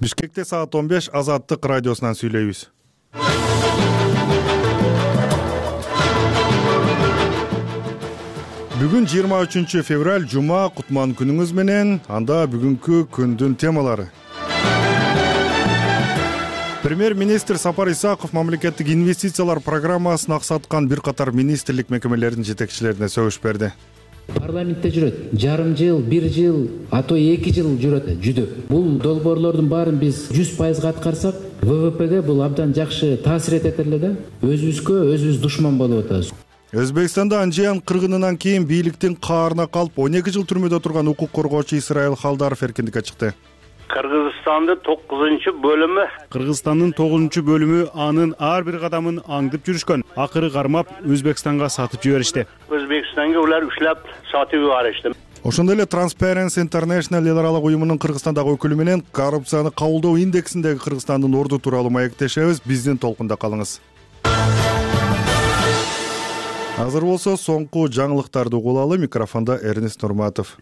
Бишкекте саат 15 Азаттык радиосунан сүйлөйбүз. Бүгүн 23 февраль жума, кутман күнүңүз менен. Анда бүгүнкү күндүн темалары. Премьер-министр Сапар Исаков мамлекеттик инвестициялар программасын аксаткан бир катар министрлик мекемелеринин жетекчилерине сөгүш берди. Парламентте жүрөт. Жарым жыл, бир жыл, ато 2 жыл жүрөт жүдөп. Бул долбоорлордун баарын биз 100% аткарсак, ВВПге бул абдан жакшы таасир этет эле да. Өзүбүз душман болуп атабыз. Өзбекстанда Анжиян кыргынынан кийин бийликтин каарына калып 12 жыл түрмөдө турган укук коргоочу Исраил Халдаров эркиндикке чыкты. Кыргызстандын 9-бөлүмү. Кыргызстандын 9-бөлүмү анын ар бир кадамын аңдып жүрүшкөн. Акыры кармап Өзбекстанга сатып жиберишти. Өзбекстанга улар уштап сатып жиберишти. Ошондой эле Transparency International эл аралык уюмунун Кыргызстандагы өкүлү менен коррупцияны кабылдоо индексиндеги Кыргызстандын орду тууралуу маектешебиз. Биздин толкунда калыңыз. Азыр болсо соңку жаңылыктарды угулалы. Микрофондо Эрнест Нурматов.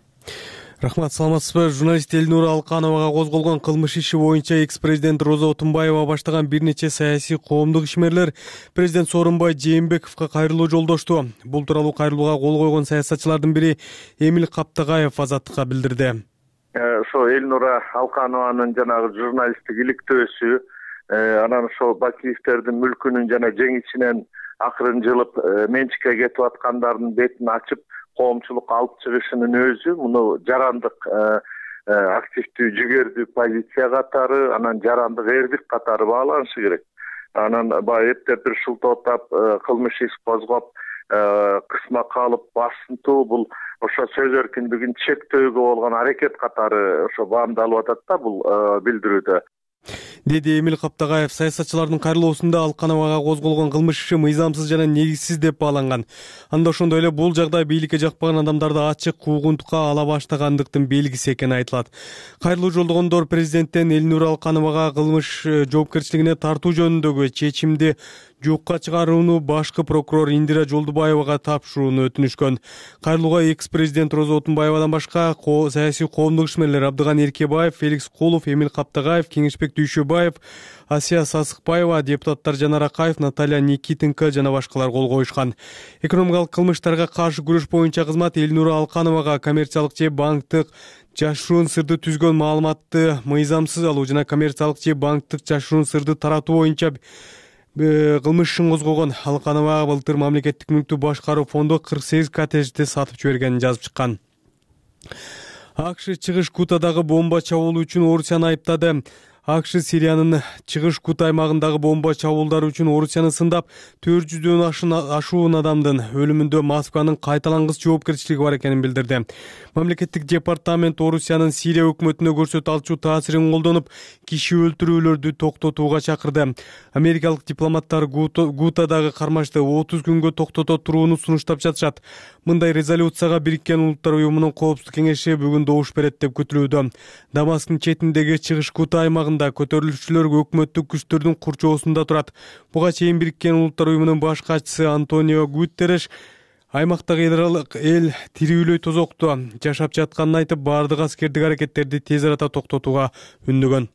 Рахмат, саламатсызбы? Журналист Элнура Алкановага козголгон кылмыш иши боюнча экс-президент Роза Отунбаева баштаган бир нече саясий коомдук ишмерлер президент Сооронбай Жээнбековго кайрылуу жолдошту. Бул тууралуу кайрылууга кол койгон саясатчылардын бири Эмил Каптагаев Азаттыкка билдирди. Ошо Элнура Алканованын жанагы журналисттик иликтөөсү, анан ошо Бакиевтердин мүлкүнүн жана жеңичинен акырын жылып менчикке кетип аткандардын бетин ачып коомчулукка алып чыгышынын өзү муну жарандык активдүү жүгердүү позиция катары, анан жарандык эрдик катары бааланышы керек. Анан баягы эптеп бир шултоотап кылмыш иш козгоп кысма калып басынтуу, бул ошо сөз эркиндигин чектөөгө болгон аракет катары ошо баамдалып атат да бул билдирүүдө, деди Эмил Каптагаев. Саясатчылардын кайрылуусунда Алкановага козголгон кылмыш иши мыйзамсыз жана негизсиз деп бааланган. Анда ошондой эле бул жагдай бийликке жакпаган адамдарды ачык куугунтукка ала баштагандыктын белгиси экени айтылат. Кайрылуу жолдогондор президенттен Элнура Алкановага кылмыш жоопкерчилигине тартуу жөнүндөгү чечимди жокко чыгарууну башкы прокурор Индира Жолдубаевага тапшырууну өтүнүшкөн. Кайрылууга экс-президент Роза Отунбаевадан башка саясий коомдук ишмерлер Абдыган Эркебаев, Феликс Кулов, Эмил Каптагаев, Кеңешбек Дүйшөбаев, Асия Сасыкбаева, депутаттар Жанар Акаев, Наталья Никитенко жана башкалар кол коюшкан. Экономикалык кылмыштарга каршы күрөш боюнча кызмат Элнура Алкановага коммерциялык же банктык жашыруун сырды түзгөн маалыматты мыйзамсыз алуу жана коммерциялык же банктык жашыруун сырды таратуу боюнча кылмыш ишин козгогон. Алканова былтыр мамлекеттик мүлктү башкаруу фонду 48 коттеджди сатып жибергенин жазып чыккан. АКШ чыгыш Гутадагы бомба чабуул үчүн Орусияны айыптады. АКШ Сириянын чыгыш Гута аймагындагы бомба чабуулдары үчүн Орусияны сындап, 400дөн ашуун адамдын өлүмүндө Москванын кайталангыс жоопкерчилиги бар экенин билдирди. Мамлекеттик департамент Орусиянын Сирия өкмөтүнө көрсөтө алчу таасирин колдонуп, киши өлтүрүүлөрдү токтотууга чакырды. Америкалык дипломаттар Гутадагы кармашты 30 күнгө токтото турууну сунуштап жатышат. Мындай резолюцияга Бириккен Улуттар уюмунун Коопсуздук кеңеши бүгүн добуш берет деп күтүлүүдө. Дамасктын четиндеги чыгыш Гута аймагында көтөрүлүшчүлөр өкмөттүк күчтөрдүн курчоосунда турат. Буга чейин Бириккен Улуттар уюмунун баш катчысы Антонио Гутерреш аймактагы эл тирүүлөй тозокту жашап жатканын айтып, баардык аскердик аракеттерди тез арада токтотууга үндөгөн.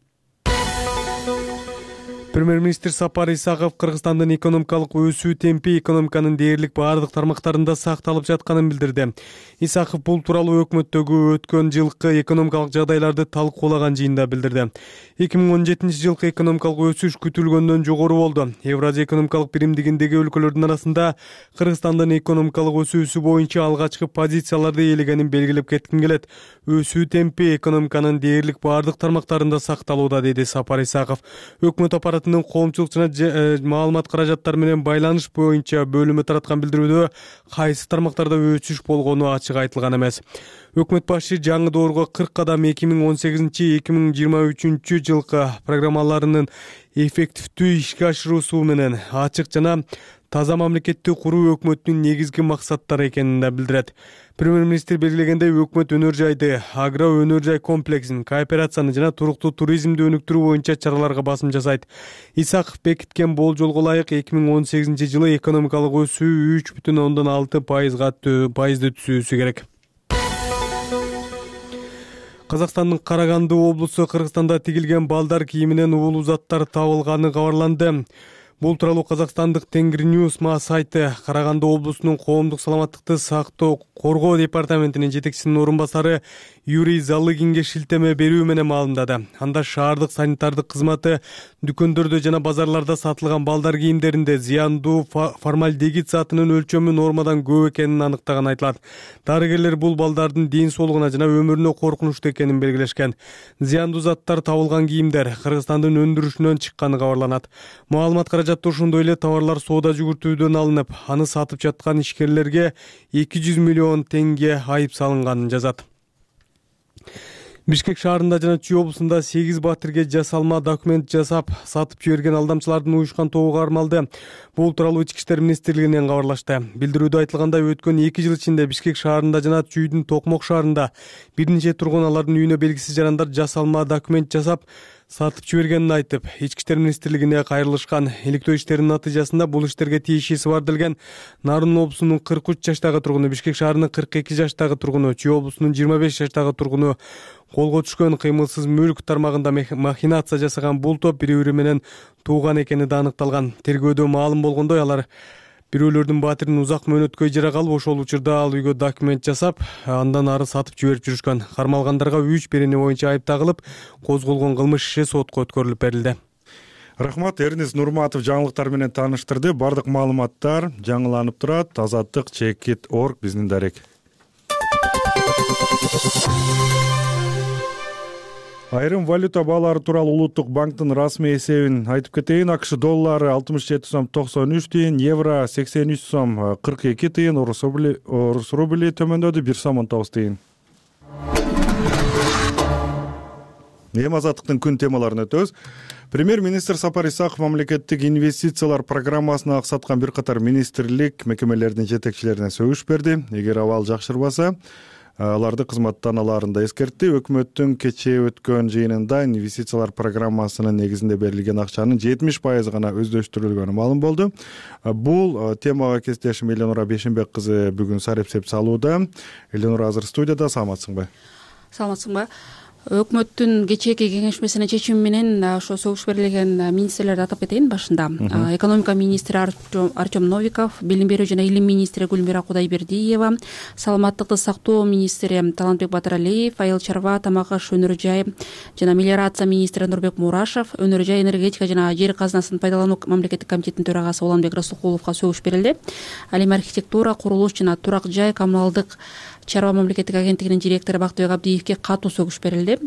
Премьер-министр Сапар Исаков Кыргызстандын экономикалык өсүү темпи экономиканын дээрлик баардык тармактарында сакталып жатканын билдирди. Исаков бул тууралуу өкмөттөгү өткөн жылкы экономикалык жагдайларды талкуулаган жыйында билдирди. 2017 жылкы экономикалык өсүш күтүлгөндөн жогору болду. Евразия экономикалык биримдигиндеги өлкөлөрдүн арасында Кыргызстандын экономикалык өсүүсү боюнча алгачкы позицияларды ээлегенин белгилеп кетким келет. Өсүү темпи экономиканын дээрлик баардык тармактарында сакталууда, деди Сапар Исаков. Өкмөт аппаратынын коомчулук жана маалымат каражаттары менен байланыш боюнча бөлүмү тараткан билдирүүдө кайсы тармактарда өсүш болгону ачык айтылган эмес. Өкмөт башы жаңы доорго 40 кадам 2018-2023 жылкы программаларынын эффективдүү ишке ашыруусу менен ачык жана таза мамлекетти куруу өкмөттүн негизги максаттары экенин да билдирет. Премьер-министр белгилегендей, өкмөт өнөр жайды, агро өнөр жай комплексин, кооперацияны жана туруктуу туризмди өнүктүрүү боюнча чараларга басым жасайт. Исаков бекиткен болжолго ылайык 2018 жылы экономикалык өсүү 3,6%га түзүүсү керек. Казакстандын Караганды облусу Кыргызстанда тигилген балдар кийиминен уулуу заттар табылганы кабарланды. Бул тууралуу Казакстандык Тенгриньюз сайты Караганды облусунун коомдук саламаттыкты сактоо коргоо департаментинин жетекчисинин орун басары Юрий Залыгинге шилтеме берүү менен маалымдады. Анда шаардык санитардык кызматы дүкөндөрдө жана базарларда сатылган балдар кийимдеринде зыяндуу формальдегид затынын өлчөмү нормадан көп экенин аныктаганы айтылат. Дарыгерлер бул балдардын ден соолугуна жана өмүрүнө коркунучтуу экенин белгилешкен. Зыяндуу заттар табылган кийимдер Кыргызстандын өндүрүшүнөн чыкканы кабарланат. Маалымат каражаты ошондой эле товарлар соода жүгүртүүдөн алынып, аны сатып жаткан ишкерлерге 200 миллион теңге айып салынганын жазат. Бишкек шаарында жана Чүй облусунда 8 батирге жасалма документ жасап сатып жиберген алдамчылардын уюшкан тобу кармалды. Бул тууралуу Ички иштер министрлигинен кабарлашты. Билдирүүдө айтылгандай, өткөн 2 жыл ичинде Бишкек шаарында жана Чүйдүн Токмок шаарында бир нече тургун алардын үйүнө белгисиз жарандар жасалма документ жасап сатып жибергенин айтып, Ички иштер министрлигине кайрылышкан. Иликтөө иштеринин натыйжасында бул иштерге тиешеси бар делген Нарын облусунун 43 жаштагы тургуну, Бишкек шаарынын 42 жаштагы тургуну, Чүй облусунун 25 жаштагы тургуну колго түшкөн. Кыймылсыз мүлк тармагында махинация жасаган бул топ бири-бири менен тууган экени да аныкталган. Тергөөдө маалым болгондой, алар бирөөлөрдүн батирин узак мөөнөткө ижара калып, ошол учурда ал үйгө документ жасап, андан ары сатып жиберип жүрүшкөн. Кармалгандарга 3 берени боюнча айып тагылып, козголгон кылмыш иши сотко өткөрүлүп берилди. Рахмат, Эрнис Нурматов жаңылыктар менен тааныштырды. Бардык маалыматтар жаңыланып турат. Азаттык Чекит.org биздин дарек. Айрым валюта баалары тууралуу Улуттук банктын расмий эсебин айтып кетейин. АКШ доллары 67 сом 93 тыйын, евро 83 сом 42 тыйын, орус рубли төмөндөдү 1 сом 19 тыйын. Эми азаттыктын күн темаларына өтөбүз. Премьер-министр Сапар Исаков мамлекеттик инвестициялар программасын аксаткан бир катар министрлик мекемелердин жетекчилерине сөгүш берди. Эгер абал жакшырбаса, аларды кызматтан алаарында эскертти. Өкмөттүн кечээ өткөн жыйынында инвестициялар программасынын негизинде берилген акчанын 70% гана өздөштүрүлгөнү маалым болду. Бул темага кесиптешим Эленура Бешенбек кызы бүгүн сарепсеп салууда. Эленура азыр студияда. Саламатсыңбы? Саламатсыңбы? Өкмөттүн кечээки кеңешмесинин чечими менен ошо сөгүш берилген министрлерди атап кетейин башында. Экономика министри Артем Новиков, билим берүү жана илим министри Гүлмира Кудайбердиева, саламаттыкты сактоо министри Талантбек Батыралиев, айыл чарба, тамак аш, өнөр жай жана мелиорация министри Нурбек Мурашев, өнөр жай, энергетика жана жер казынасын пайдалануу мамлекеттик комитетинин төрагасы Уланбек Расулкуловго сөгүш берилди. Ал эми архитектура, курулуш жана турак жай коммуналдык чарба мамлекеттик агенттигинин директору Бактыбек Абдиевге катуу сөгүш берилди.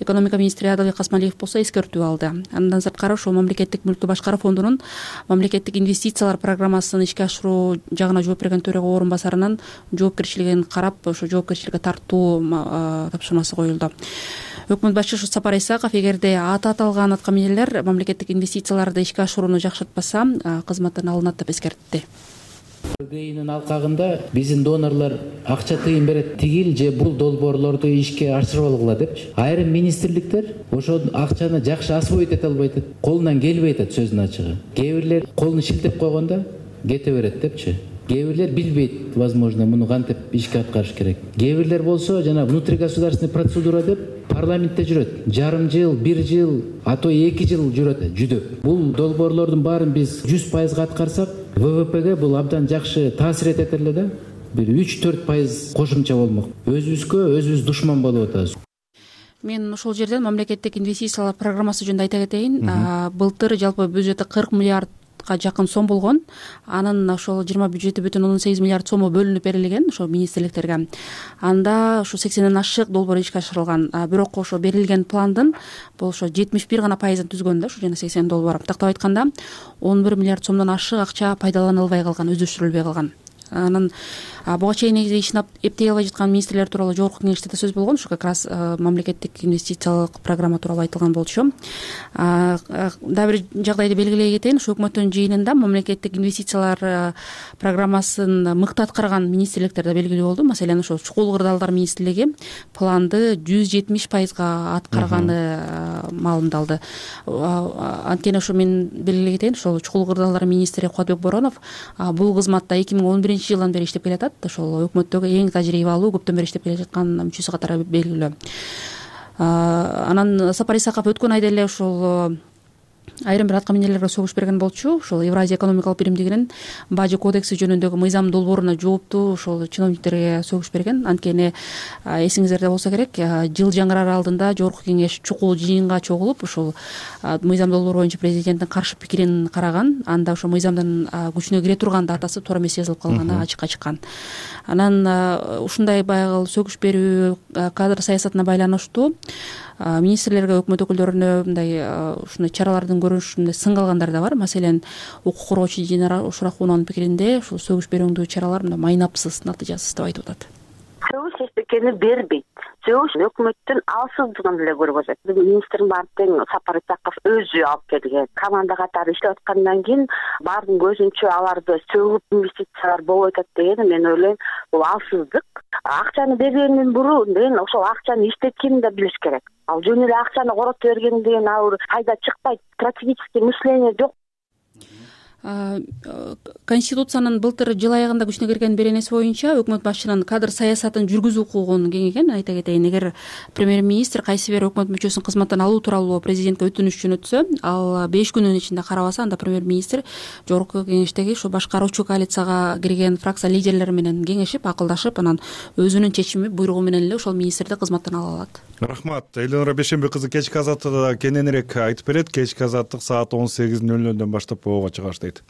Экономика министри Адалбек Касмалиев болсо эскертүү алды. Андан сырткары ошол мамлекеттик мүлктү башкаруу фондунун мамлекеттик инвестициялар программасын ишке ашыруу жагына жооп берген төрага орун басарынан жоопкерчилигин карап, ошо жоопкерчиликке тартуу тапшырмасы коюлду. Өкмөт башчысы Сапар Исаков эгерде аты аталган аткаминерлер мамлекеттик инвестицияларды ишке ашырууну жакшыртпаса, кызматтан алынат деп эскертти. РГИнин алкагында биздин донорлор акча тыйын берет, тигил же бул долбоорлорду ишке ашырып алгыла депчи. Айрым министрликтер ошол акчаны жакшы освоить эте албай атат, колунан келбей атат сөздүн ачыгы. Кээ бирлер колун шилтеп койгондо кете берет депчи. Кээ бирлер билбейт, возможно, муну кантип ишке аткарыш керек. Кээ бирлер болсо жана внутригосударственный процедура деп парламентте жүрөт. Жарым жыл, 1 жыл, а то 2 жыл жүрөт жүдөп. Бул долбоорлордун баарын биз 100% аткарсак, ВВПге бул абдан жакшы таасир этет эле да. Бир 3-4% кошумча болмок. Өзүбүз душман болуп атабыз. Мен ошол жерден мамлекеттик инвестициялар программасы жөнүндө айта кетейин. Былтыр жалпы бюджети 40 миллиард жакын сом болгон. Анын ошол 20 бюджети бүтүн 18 миллиард сому бөлүнүп берилген ошо министрликтерге. Анда ошо 80ден ашык долбоор ишке ашырылган. Бирок ошо берилген пландын бул ошо 71 гана пайызын түзгөн да, ошо жана 80 долбоор. Тактап айтканда 11 миллиард сомдон ашык акча пайдаланылбай калган, өздөштүрүлбөй калган. Анын буга чейин негизи ишин эптей албай жаткан министрлер тууралуу жогорку кеңеште да сөз болгон. Ушу как раз мамлекеттик инвестициялык программа тууралуу айтылган болчу. Дагы бир жагдайды белгилей кетейин. Ушу өкмөттүн жыйынында мамлекеттик инвестициялар программасын мыкты аткарган министрликтер да белгилүү болду. Маселен, ошо чукул кырдаалдар министрлиги планды 170% аткарганы маалымдалды. Анткени ошо мен белгилей кетейин, ошол чукул кырдаалдар министри Кубатбек Боронов бул кызматта 2011 жылдан бери иштеп келатат. Ошол өкмөттөгү эң тажрыйбалуу, көптөн бери иштеп келе жаткан мүчөсү катары белгилүү. Анан Сапар Исаков өткөн айда эле ушул айрым бир атка минерлерге согуш берген болчу. Ошол Евразия экономикалык биримдигинин бажы кодекси жөнүндөгү мыйзам долбооруна жооптуу ошол чиновниктерге согуш берген. Анткени эсиңиздерде болсо керек, жыл жаңыраар алдында жогорку кеңеш чукул жыйынга чогулуп ушул мыйзам долбоору боюнча президенттин каршы пикирин караган. Анда ошо мыйзамдын күчүнө кире турган датасы туура эмес жазылып калганы ачыкка чыккан. Анан ушундай баягы согуш берүү кадр саясатына байланыштуу министрлерге, өкмөт өкүлдөрүнө мындай ушундай чаралардын көрүнүшүнө сынга алгандар да бар. Маселен, укук коргоочу Динара Ушрахунованын пикиринде ушул сөгүш берүүндүү чаралар мындай майнапсыз, натыйжасыз деп айтып атат. Сөгүш эчтекени бербейт. Сөгүш өкмөттүн алсыздыгын эле көргөзөт. Министрдин баардык тең Сапар Исаков өзү алып келген. Команда катары иштеп аткандан кийин баардын көзүнчө аларды сөгүп инвестициялар болуп атат деген мен ойлойм, бул алсыздык. Акчаны бергенден мурун ошол акчаны иштеткенин да билиш керек. Ал жөн эле акчаны корото берген деген пайда чыкпайт. Стратегический мышление жок. Конституциянын былтыр жыл аягында күчүнө кирген беренеси боюнча өкмөт башчынын кадр саясатын жүргүзүү укугун кеңейген. Айта кетейин, эгер премьер-министр кайсы бир өкмөт мүчөсүн кызматтан алуу тууралуу президентке өтүнүш жөнөтсө, ал 5 күнүн ичинде карабаса, анда премьер-министр жогорку кеңештеги ушу башкаруучу коалицияга кирген фракция лидерлери менен кеңешип, акылдашып, анан өзүнүн чечими, буйругу менен эле ошол министрди кызматтан ала алат. Рахмат. Элнура Бейшембек кызы кечки азаттыкта кененирээк айтып берет. Кечки азаттык саат 18:00 баштап ого чыгаштайт.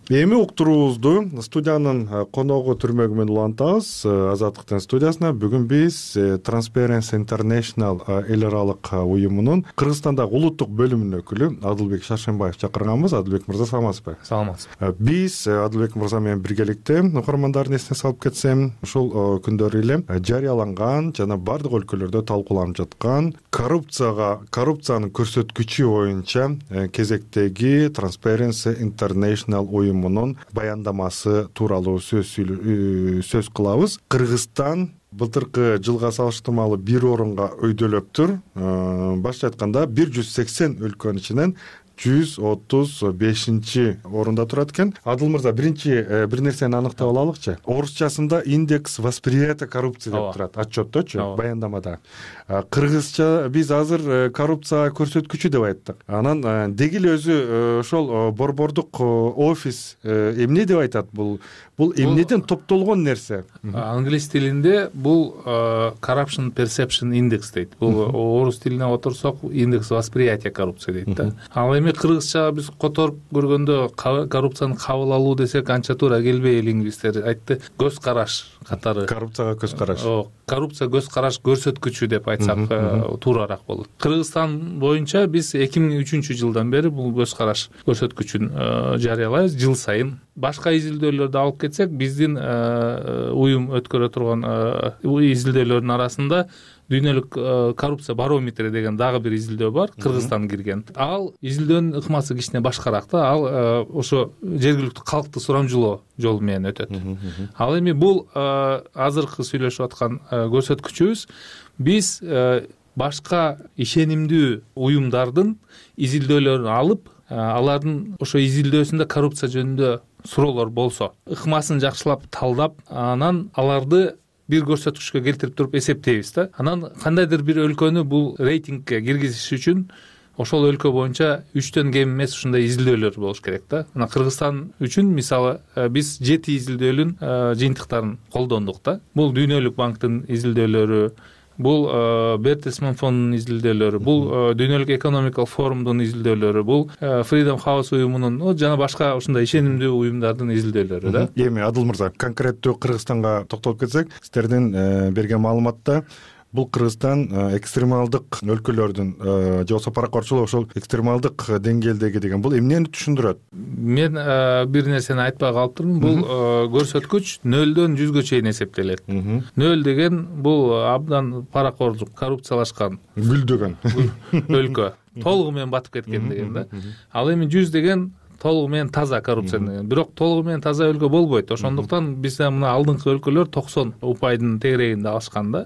Эми уктуруубузду студиянын коногу түрмөгү менен улантабыз. Азаттыктын студиясына бүгүн биз Transparency International эл аралык уюмунун Кыргызстандагы улуттук бөлүмүнүн өкүлү Адылбек Шаршенбаев чакырганбыз. Адылбек мырза, саламатсызбы? Саламатсызбы. Биз Адылбек мырза менен биргеликте угармандардын эсине салып кетсем, ушул күндөрү эле жарыяланган жана бардык өлкөлөрдө талкууланып жаткан коррупциянын көрсөткүчү боюнча кезектеги Transparency International уюмунун баяндамасы тууралуу сөз кылабыз. Кыргызстан былтыркы жылга салыштырмалуу 1 орунга өйдөлөптүр. Башкача айтканда 180 өлкөнүн ичинен 135 орунда турат экен. Адыл мырза, биринчи бир нерсени аныктап алалычы. Орусчасында индекс восприятия коррупции деп турат, отчетточу, баяндамада. Кыргызча биз азыр коррупция көрсөткүчү деп айттык. Анан деги эле өзү ошол борбордук офис эмне деп айтат? Бул эмнеден топтолгон нерсе? Англис тилинде бул corruption perception index дейт. Бул орус тилине отурсок индекс восприятия коррупции дейт да. Ал эми кыргызча биз которуп көргөндө коррупцияны кабыл алуу десек анча туура келбей, лингвисттер айтты, көз караш катары. Коррупцияга көз караш. Коррупция көз караш көрсөткүчү деп айтсак туурараак болот. Кыргызстан боюнча биз 2003-жылдан бери бул көз караш көрсөткүчүн жарыялайбыз жыл сайын. Башка изилдөөлөрдү алып кетсек, биздин уюм өткөрө турган изилдөөлөрдүн арасында дүйнөлүк коррупция барометри деген дагы бир изилдөө бар, Кыргызстан кирген. Ал изилдөөнүн ыкмасы кичине башкараак да. Ал ошо жергиликтүү калкты сурамжылоо жолу менен өтөт. Ал эми бул азыркы сүйлөшүп аткан көрсөткүчүбүз биз башка ишенимдүү уюмдардын изилдөөлөрүн алып, алардын ошо изилдөөсүндө коррупция жөнүндө суроолор болсо, ыкмасын жакшылап талдап, анан аларды бир көрсөткүчкө келтирип туруп эсептейбиз да. Анан кандайдыр бир өлкөнү бул рейтингке киргизиш үчүн ошол өлкө боюнча 3төн кем эмес ушундай изилдөөлөр болуш керек да. Мына Кыргызстан үчүн мисалы биз 7 изилдөөнүн жыйынтыктарын колдондук да. Бул Дүйнөлүк банктын изилдөөлөрү, бул Бертельсман фондунун изилдөөлөрү, бул Дүйнөлүк экономикалык форумдун изилдөөлөрү, бул Freedom House уюмунун жана башка ушундай ишенимдүү уюмдардын изилдөөлөрү да. Эми Адыл мырза, конкреттүү Кыргызстанга токтолуп кетсек, сиздердин берген маалыматта бул Кыргызстан экстремалдык өлкөлөрдүн же болбосо паракорчулук ошол экстремалдык деңгээлдеги деген бул эмнени түшүндүрөт? Мен бир нерсени айтпай калыптырмын. Бул көрсөткүч 0-дөн 100гө чейин эсептелет. 0 деген бул абдан паракордук, коррупциялашкан, гүлдөгөн өлкө, толугу менен батып кеткен деген да. Ал эми 100 деген толугу менен таза коррупция, бирок толугу менен таза өлкө болбойт. Ошондуктан биз мына алдыңкы өлкөлөр 90% тегерегинде алышкан да.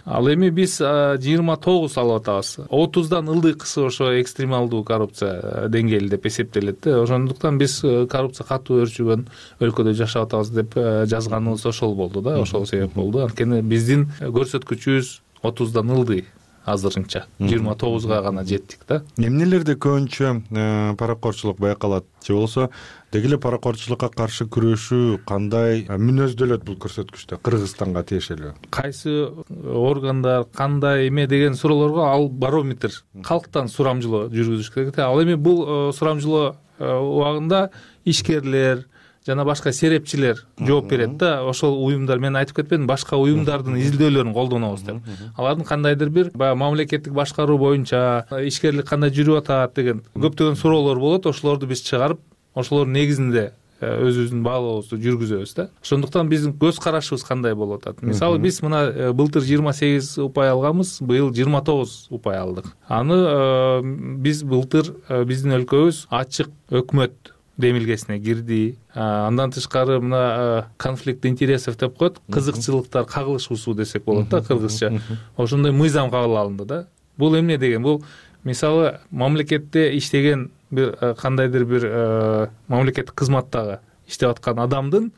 Ал эми биз 29 алып атабыз. 30дан ылдыйкысы ошо экстремалдуу коррупция деңгээли деп эсептелет да. Ошондуктан биз коррупция катуу өрчүгөн өлкөдө жашап атабыз деп жазганыбыз ошол болду да, ошол себеп болду. Анткени биздин көрсөткүчүбүз 30дан ылдый. Азырынча 29га гана жеттик да. Эмнелерде көбүнчө паракорчулук байкалат же болбосо деги эле паракорчулукка каршы күрөшүү кандай мүнөздөлөт бул көрсөткүчтө Кыргызстанга тиешелүү? Кайсы органдар кандай эме деген суроолорго ал барометр, калктан сурамжылоо жүргүзүш керек. Ал эми бул сурамжылоо убагында ишкерлер жана башка серепчилер жооп берет да. Ошол уюмдар, мен айтып кетпедим, башка уюмдардын изилдөөлөрүн колдонобуз деп. Алардын кандайдыр бир баягы мамлекеттик башкаруу боюнча ишкерлик кандай жүрүп атат деген көптөгөн суроолор болот. Ошолорду биз чыгарып, ошолордун негизинде өзүбүздүн баалообузду жүргүзөбүз да. Ошондуктан биздин көз карашыбыз кандай болуп атат? Мисалы биз мына былтыр 28 упай алганбыз, быйыл 29 упай алдык. Аны биз былтыр биздин өлкөбүз ачык өкмөт демилгесине кирди. Андан тышкары мына конфликт интересов деп коет, кызыкчылыктар кагылышуусу десек болот да кыргызча. Ошондой мыйзам кабыл алынды да. Бул эмне деген? Бул мисалы мамлекетте иштеген бир кандайдыр бир мамлекеттик кызматтагы иштеп аткан адамдын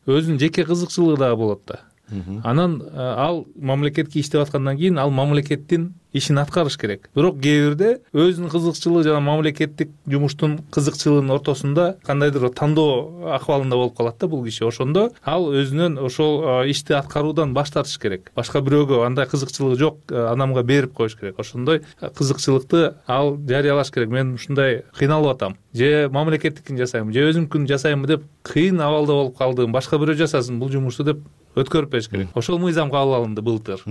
өзүнүн жеке кызыкчылыгы дагы болот да. Анан ал мамлекетке иштеп аткандан кийин ал мамлекеттин ишин аткарыш керек. Бирок кээ бирде өзүнүн кызыкчылыгы жана мамлекеттик жумуштун кызыкчылыгынын ортосунда кандайдыр тандоо акыбалында болуп калат да бул киши. Ошондо ал өзүнөн ошол ишти аткаруудан баш тартыш керек. Башка бирөөгө андай кызыкчылыгы жок адамга берип коюш керек. Ошондой кызыкчылыкты ал жарыялаш керек. Мен ушундай кыйналып атам, же мамлекеттикин жасайм, же өзүмкүн жасаймбы деп кыйын абалда болуп калдым. Башка бирөө жасасын бул жумушту деп өткөрүп бериш керек. Ошол мыйзам кабыл алынды былтыр.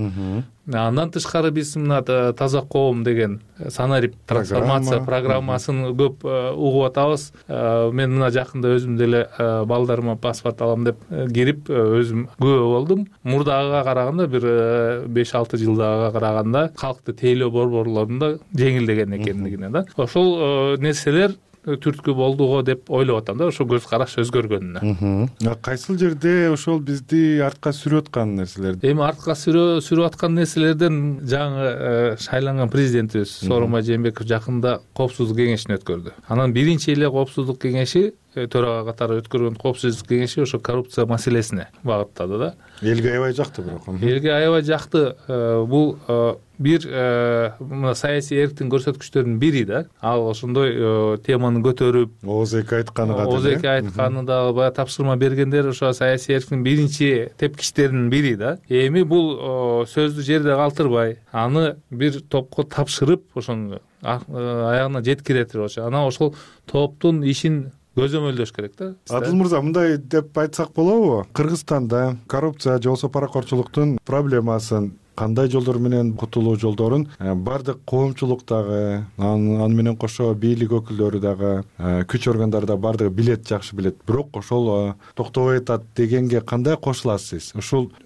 Андан тышкары биз мына таза коом деген санарип трансформация программасын көп угуп атабыз. Мен мына жакында өзүм деле балдарыма паспорт алам деп кирип өзүм күбө болдум. Мурдагыга караганда бир 5-6 жылдагыга караганда калкты тейлөө борборлорунда жеңилдеген экендигине да. Ошол нерселер түрткү болду го деп ойлоп атам да, ошо көз караш өзгөргөнүнө. Кайсыл жерде ошол бизди артка сүрүп аткан нерселер? Эми артка сүрүп аткан нерселерден жаңы шайланган президентибиз Сооронбай Жээнбеков жакында коопсуздук кеңешин өткөрдү. Анан биринчи эле коопсуздук кеңеши төрага катары өткөргөн коопсуздук кеңеши ошо коррупция маселесине багыттады да. Элге аябай жакты бирок. Элге аябай жакты. Бул бир мына саясий эрктин көрсөткүчтөрүнүн бири да. Ал ошондой теманы көтөрүп, ооз-эки айтканы ооз-эки айтканы дагы баягы тапшырма бергендер ошо саясий эрктин биринчи тепкичтеринин бири да. Эми бул сөздү жерде калтырбай, аны бир топко тапшырып, ошону аягына жеткиретип, анан ошол топтун ишин көзөмөлдөш керек да. Адыл мырза, мындай деп айтсак болобу? Кыргызстанда коррупция же болбосо паракорчулуктун проблемасын, кандай жолдор менен кутулуу жолдорун бардык коомчулуктагы, аны менен кошо бийлик өкүлдөрү дагы, күч органдары да бардыгы билет, жакшы билет. Бирок ошол токтобой атат дегенге кандай кошуласыз?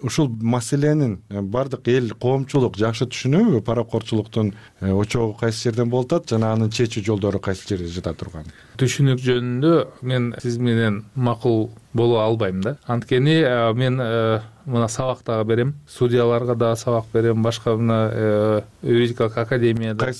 Ушул маселенин бардык эл, коомчулук жакшы түшүнөбү? Паракорчулуктун очогу кайсы жерден болуп атат жана анын чечүү жолдору кайсы жерде жата турган? Түшүнүк жөнүндө мен сиз менен макул боло албайм да. Анткени мен мына сабак дагы берем, судьяларга дагы сабак берем, башка мына юридикалык академияда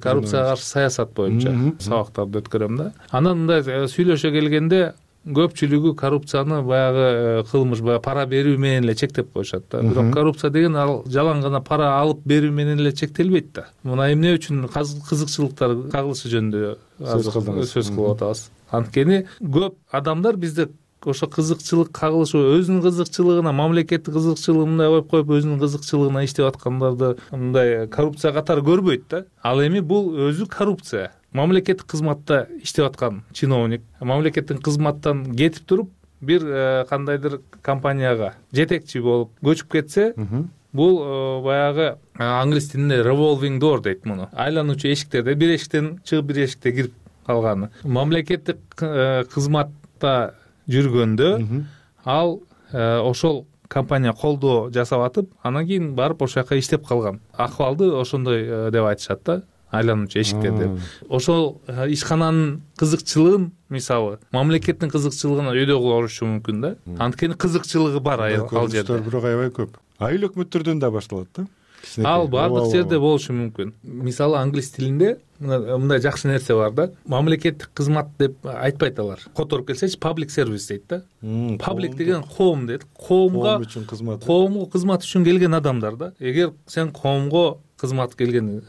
коррупцияга каршы саясат боюнча сабактарды өткөрөм да. Анан мындай сүйлөшө келгенде көпчүлүгү коррупцияны баягы кылмыш, баягы пара берүү менен эле чектеп коюшат да. Бирок коррупция деген ал жалаң гана пара алып берүү менен эле чектелбейт да. Мына эмне үчүн кызыкчылыктар кагылышы жөнүндө сөз кылып атабыз. Анткени көп адамдар бизде ошо кызыкчылык кагылышуу, өзүнүн кызыкчылыгына, мамлекеттик кызыкчылыгын мындай коюп өзүнүн кызыкчылыгына иштеп аткандарды мындай коррупция катары көрбөйт да. Ал эми бул өзү коррупция. Мамлекеттик кызматта иштеп аткан чиновник мамлекеттик кызматтан кетип туруп бир кандайдыр компанияга жетекчи болуп көчүп кетсе, бул баягы англис тилинде revolving door дейт муну. Айлануучу эшиктерде бир эшиктен чыгып бир эшикте кирип калганы. Мамлекеттик кызматта жүргөндө ал ошол компания колдоо жасап атып, анан кийин барып ошол жака иштеп калган. Акыбалды ошондой деп айтышат да. айлануучу эшиктерде. Ошол ишкананын кызыкчылыгын, мисалы мамлекеттин кызыкчылыгын өйдө кылышы мүмкүн да. Анткени кызыкчылыгы бар ал жерде. Бирок аябай көп. Айыл өкмөттөрдөн да башталат да. Ал баардык жерде болушу мүмкүн. Мисалы англис тилинде мындай жакшы нерсе бар да. Мамлекеттик кызмат деп айтпайт алар. Которуп келсечи public service дейт да. Public деген коом дейт. Коомго кызмат үчүн келген адамдар да. Эгер сен коомго кызмат келген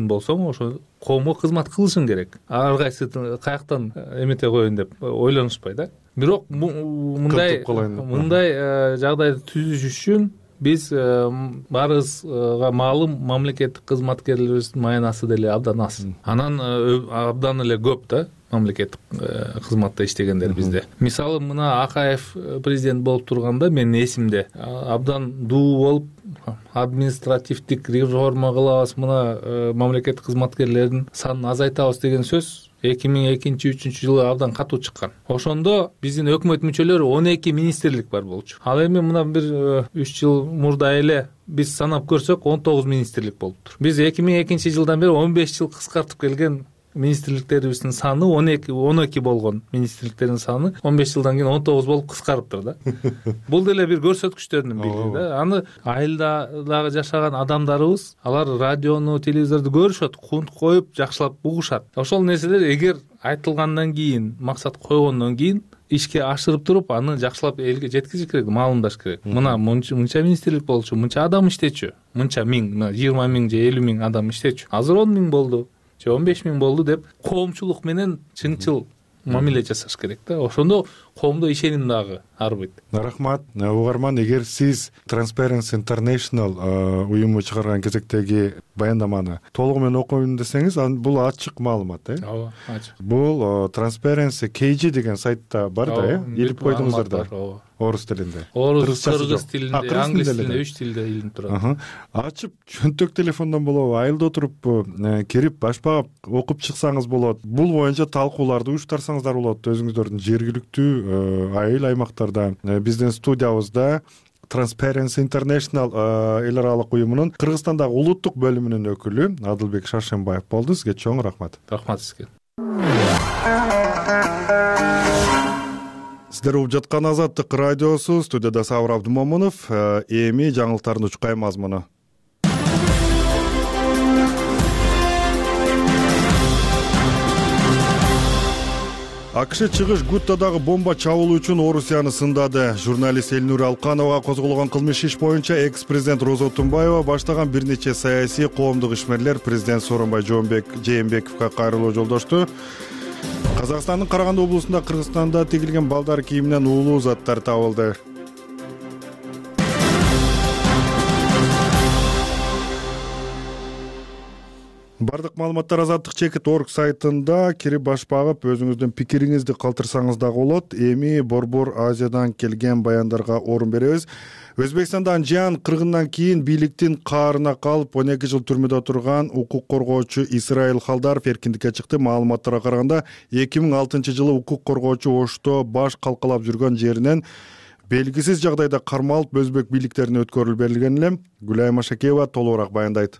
болсоң, ошо коомго кызмат кылышың керек. Ар кайсы каяктан эмете коеюн деп ойлонушпай да. Бирок мындай жагдайды түзүш үчүн биз баарыбызга маалым мамлекеттик кызматкерлерибиздин маянасы деле абдан аз. Анан абдан эле көп да мамлекеттик кызматта иштегендер бизде. Мисалы мына Акаев президент болуп турганда менин эсимде абдан дуу болуп административдик реформа кылабыз, мына мамлекеттик кызматкерлердин санын азайтабыз деген сөз 2002-2003 жылы абдан катуу чыккан. Ошондо биздин өкмөт мүчөлөрү 12 министрлик бар болчу. Ал эми мына бир 3 жыл мурда эле биз санап көрсөк 19 министрлик болуптур. Биз 2002 жылдан бери 15 жыл кыскартып келген министрликтерибиздин саны 12 болгон министрликтердин саны 15 жылдан кийин 19 болуп кыскарыптыр да. Бул деле бир көрсөткүчтөрдүн бири да. Аны айылда дагы жашаган адамдарыбыз, алар радиону, телевизорду көрүшөт, кунт коюп жакшылап угушат. Ошол нерселер эгер айтылгандан кийин, максат койгондон кийин ишке ашырып туруп, аны жакшылап элге жеткизиш керек, маалымдаш керек. Мына мынча министрлик болчу, мынча адам иштечү, мынча миң, 20 миң же 50 миң адам иштечү. Азыр 10 миң болду, 15 миң болду деп коомчулук менен чынчыл мамиле жасаш керек да. Ошондо коомдо ишеним дагы арбайт. Рахмат. Угарман, эгер сиз Transparency International уюму чыгарган кезектеги баяндаманы толугу менен окуйм десеңиз, бул ачык маалымат, Ооба, ачык. Бул Transparency KG деген сайтта бар да, илип койдуңуздар да. Орус тилинде. Орус, кыргыз тилинде, англис тилинде, 3 тилде илинип турат. Ачып, чөнтөк телефондон болобу, айылда отуруп кирип башпап окуп чыксаңыз болот. Бул боюнча талкууларды уюштурсаңыздар болот өзүңүздөрдүн жергиликтүү айыл аймактарда. Биздин студиябызда Transparency International эл аралык уюмунун Кыргызстандагы улуттук бөлүмүнүн өкүлү Адылбек Шаршенбаев болду. Сизге чоң рахмат. Рахмат сизге. Сиздер угуп жаткан Азаттык радиосу, студияда Сабыр Абдымомунов. Эми жаңылыктардын учкай мазмуну. АКШ чыгыш Гуттадагы бомба чабуулу үчүн Орусияны сындады. Журналист Элнура Алкановага козголгон кылмыш иш боюнча экс-президент Роза Отунбаева баштаган бир нече саясий коомдук ишмерлер президент Сооронбай Жээнбековго кайрылуу жолдошту. Казакстандын Караганды облусунда Кыргызстанда тигилген балдар кийиминен уулуу заттар табылды. Бардык маалыматтар Азаттык.org сайтында кирип баш багып, өзүңүздүн пикириңизди калтырсаңыз дагы болот. Эми Борбор Азиядан келген баяндарга орун беребиз. Өзбекстанда Анжиан кыргындан кийин бийликтин каарына калып 12 жыл түрмөдө турган укук коргоочу Исраил Халдаров эркиндикке чыкты. Маалыматтарга караганда 2006 жылы укук коргоочу Ошто баш калкалап жүргөн жеринен белгисиз жагдайда кармалып өзбек бийликтерине өткөрүлүп берилген эле. Гүлайым Ашакеева толугураак баяндайт.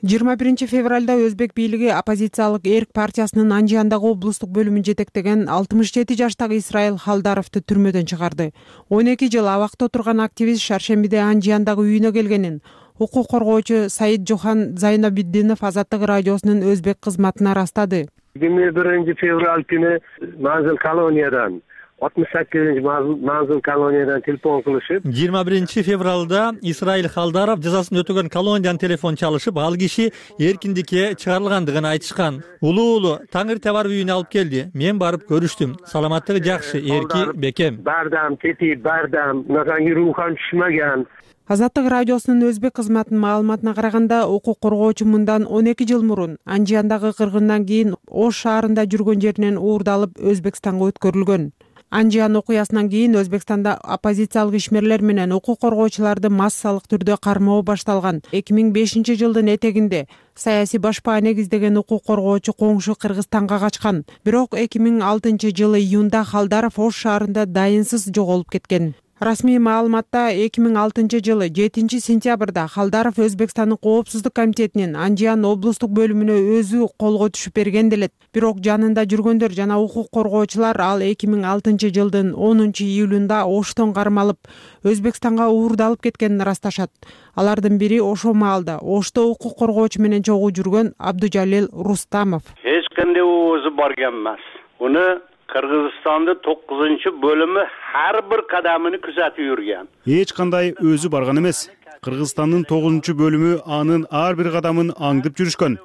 21 февралда өзбек бийлиги оппозициялык Эрк партиясынын Анжиандагы облустук бөлүмүн жетектеген 67 жаштагы Исраил Халдаровду түрмөдөн чыгарды. 12 жыл абакта отурган активист шаршембиде Анжиандагы үйүнө келгенин укук коргоочу Саид Жохан Зайнабиддинов Азаттык радиосунун өзбек кызматына ырастады. 21 февраль күнү Манзил колониядан 68 Манзил колониядан телефон кылышып, 21 февралда Исраил Халдаров жазасын өтөгөн колониядан телефон чалышып, ал киши эркиндикке чыгарылгандыгын айтышкан. Улуу Таңыр бар үйүнө алып келди. Мен барып көрүштүм. Саламаттыгы жакшы, эрки, бекем. Бардам, тети, бардам, мага рухан түшмөгөн. Азаттык радиосунун өзбек кызматынын маалыматына караганда, укук коргоочу мындан 12 жыл мурун Анжиандагы кыргындан кийин Ош шаарында жүргөн жеринен уурдалып Өзбекстанга өткөрүлгөн. Анжиан окуясынан кийин Өзбекстанда оппозициялык ишмерлер менен укук коргоочуларды массалык түрдө кармоо башталган. 2005 жылдын этегинде саясий башпаа негиздеген укук коргоочу коңшу Кыргызстанга качкан. Бирок 2006 жылы июнда Халдаров Ош шаарында дайынсыз жоголуп кеткен. Расмий маалыматта 2006-жылы 7-сентябрда Халдаров Өзбекстандын Коопсуздук комитетинин Анжиян облустук бөлүмүнө өзү колго түшүп берген делет. Бирок жанында жүргөндөр жана укук коргоочулар ал 2006-жылдын 10-июлунда Оштон кармалып, Өзбекстанга уурдалып кеткенин ырасташат. Алардын бири ошол маалда Ошто укук коргоочу менен чогуу жүргөн Абдужалил Рустамов. Эч кандай өзү барган эмес. Уну Кыргызстандын 9-бөлүмү ар бир кадамын күзөтүп жүргөн. Эч кандай өзү барган эмес. Кыргызстандын 9-бөлүмү анын ар бир кадамын аңдып жүрүшкөн.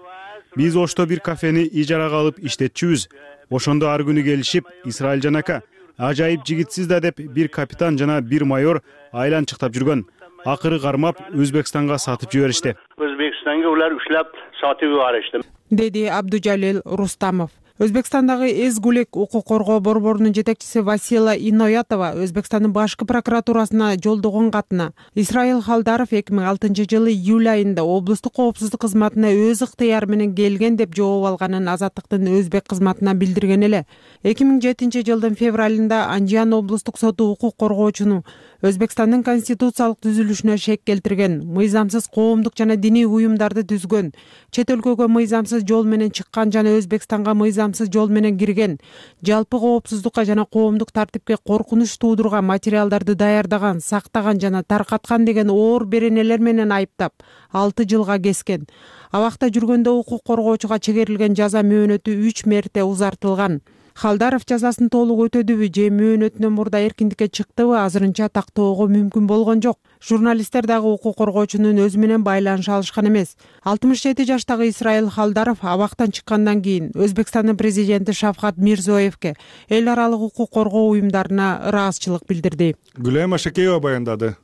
Биз Ошто бир кафени ижарага алып иштетчүбүз. Ошондо ар күнү келишип, Исраил жанака, ажайып жигитсиз да деп бир капитан жана бир майор айланчыктап жүргөн. Акыры кармап Өзбекстанга сатып жиберишти. Өзбекстанга улар ушлап сатып жиберишти, деди Абдужалил Рустамов. Өзбекстандагы Эзгулек укук коргоо борборунун жетекчиси Васила Иноятова Өзбекстандын башкы прокуратурасына жолдогон катына Исраил Халдаров 2006-жылы июль айында облустук коопсуздук кызматына өз ыктыяры менен келген деп жооп алганын Азаттыктын өзбек кызматына билдирген эле. 2007-жылдын февралында Анжиян облустук соту укук коргоочуну Өзбекстандын конституциялык түзүлүшүнө шек келтирген, мыйзамсыз коомдук жана диний уюмдарды түзгөн, чет өлкөгө мыйзамсыз жол менен чыккан жана Өзбекстанга мыйзамсыз жол менен кирген, жалпы коопсуздукка жана коомдук тартипке коркунуч туудурган материалдарды даярдаган, сактаган жана таркаткан деген оор беренелер менен айыптап 6 жылга кескен. Абакта жүргөндө укук коргоочуга чегерилген жаза мөөнөтү 3 мерте узартылган. Халдаров жазасын толук өтөдүбү же мөөнөтүнөн мурда эркиндикке чыктыбы азырынча тактоого мүмкүн болгон жок. Журналисттер дагы укук коргоочунун өзү менен байланыша алышкан эмес. 67 жаштагы Исраил Халдаров абактан чыккандан кийин Өзбекстандын президенти Шавкат Мирзиёевке эл аралык укук коргоо уюмдарына ыраазычылык билдирди. Гүлайым Ашакеева баяндады.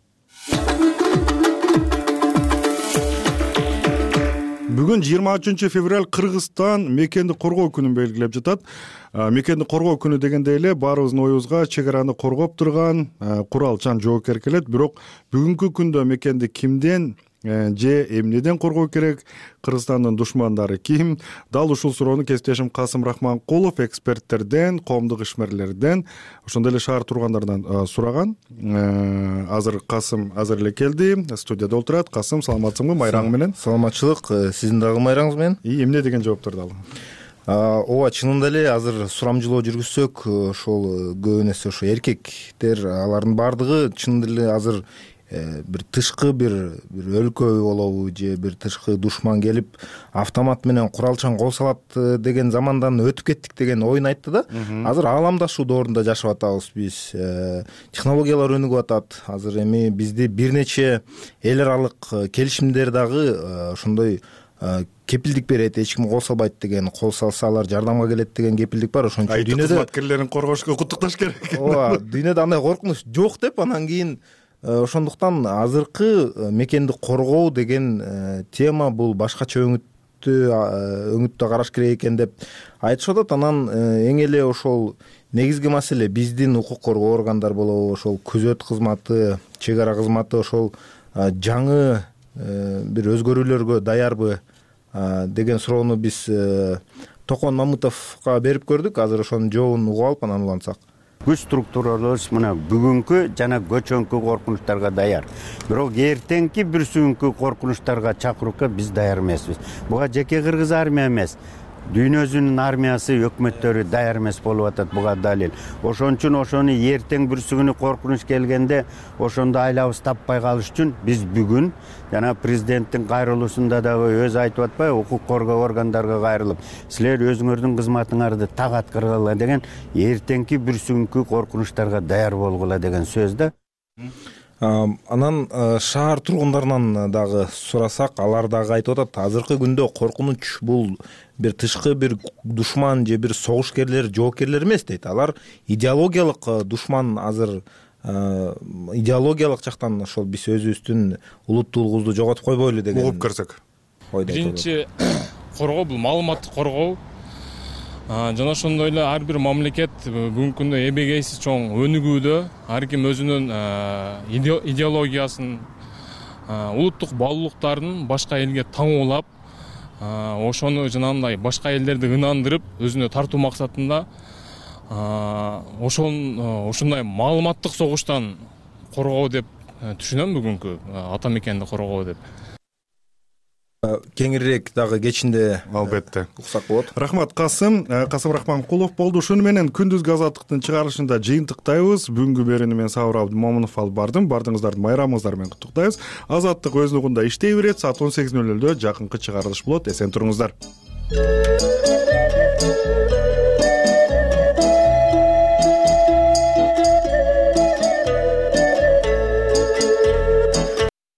Бүгүн 23 февраль Кыргызстан мекенди коргоо күнүн белгилеп жатат. Мекенди коргоо күнү дегенде эле баарыбыздын оюбузга чек араны коргоп турган куралчан жоопкер келет. Бирок бүгүнкү күндө мекенди кимден же эмнеден коргоо керек, Кыргызстандын душмандары ким? Дал ушул суроону кесиптешим Касым Рахманкулов эксперттерден, коомдук ишмерлерден, ошондой эле шаар тургандарынан сураган. Азыр Касым азыр эле келди, студияда отурат. Касым, саламатсыңбы? Майраң менен. Саламатчылык, сиздин дагы майраңыз менен. Эмне деген жоопторду алдың? Ооба, чынында эле азыр сурамжылоо жүргүзсөк, ошол көбүнесе ошо эркектер, алардын баардыгы чынында эле азыр бир тышкы бир өлкө болобу же бир тышкы душман келип автомат менен куралчан кол салат деген замандан өтүп кеттик деген оюн айтты да. Азыр ааламдашуу доорунда жашап атабыз биз. Технологиялар өнүгүп атат. Азыр эми бизди бир нече эл аралык келишимдер дагы ошондой кепилдик берет, эч ким кол салбайт деген, кол салса алар жардамга келет деген кепилдик бар. Ошон үчүн дүйнөдө кызматкерлерин коргошко куттукташ керек. Ооба, дүйнөдө андай коркунуч жок деп, анан кийин ошондуктан азыркы мекенди коргоо деген тема бул башкача өңүттө караш керек экен деп айтышып атат. Анан эң эле ошол негизги маселе биздин укук коргоо органдар болобу, ошол күзөт кызматы, чек ара кызматы ошол жаңы бир өзгөрүүлөргө даярбы деген суроону биз Токон Мамытовго берип көрдүк. Азыр ошонун жообун угуп алып анан улантсак. Күч структураларыбыз мына бүгүнкү жана көчөнкү коркунучтарга даяр. Бирок эртеңки бир сүйүнкү коркунучтарга чакырууга биз даяр эмеспиз. Буга жеке кыргыз армия эмес, дүйнөсүнүн армиясы, өкмөттөрү даяр эмес болуп атат, буга далил. Ошон үчүн ошону эртең бүрсүгүнү коркунуч келгенде ошондо айлабыз таппай калыш үчүн биз бүгүн жана президенттин кайрылуусунда дагы өзү айтып атпайбы, укук коргоо органдарга кайрылып, силер өзүңөрдүн кызматыңарды так аткаргыла деген, эртеңки бүрсүгүнкү коркунучтарга даяр болгула деген сөз да. Анан шаар тургундарынан дагы сурасак, алар дагы айтып атат, азыркы күндө коркунуч бул бир тышкы бир душман же бир согушкерлер, жоокерлер эмес дейт. Алар идеологиялык душман. Азыр идеологиялык жактан ошол биз өзүбүздүн улуттуулугубузду жоготуп койбойлу деген угуп көрсөк. Биринчи коргоо бул маалыматтык коргоо. Жана ошондой эле ар бир мамлекет бүгүнкү күндө эбегейсиз чоң өнүгүүдө, ар ким өзүнүн идеологиясын, улуттук баалуулуктарын башка элге таңуулап, ошону жанагындай башка элдерди ынандырып, өзүнө тартуу максатында ошондой маалыматтык согуштан коргоо деп түшүнөм, бүгүнкү ата мекенди коргоо деп. Кеңирээк дагы кечинде албетте уксак болот. Рахмат Касым Рахманкулов болду. Шуну менен күндүзгү азаттыктын чыгарылышында жыйынтыктайбыз. Бүгүнкү берүүнү мен Сабыр Абдымомунов алып бардым. Бардыңыздарды майрамыңыздар менен куттуктайбыз. Азаттык өз нугунда иштей берет. Саат 18:00 жакынкы чыгарылыш болот. Эсен туруңуздар.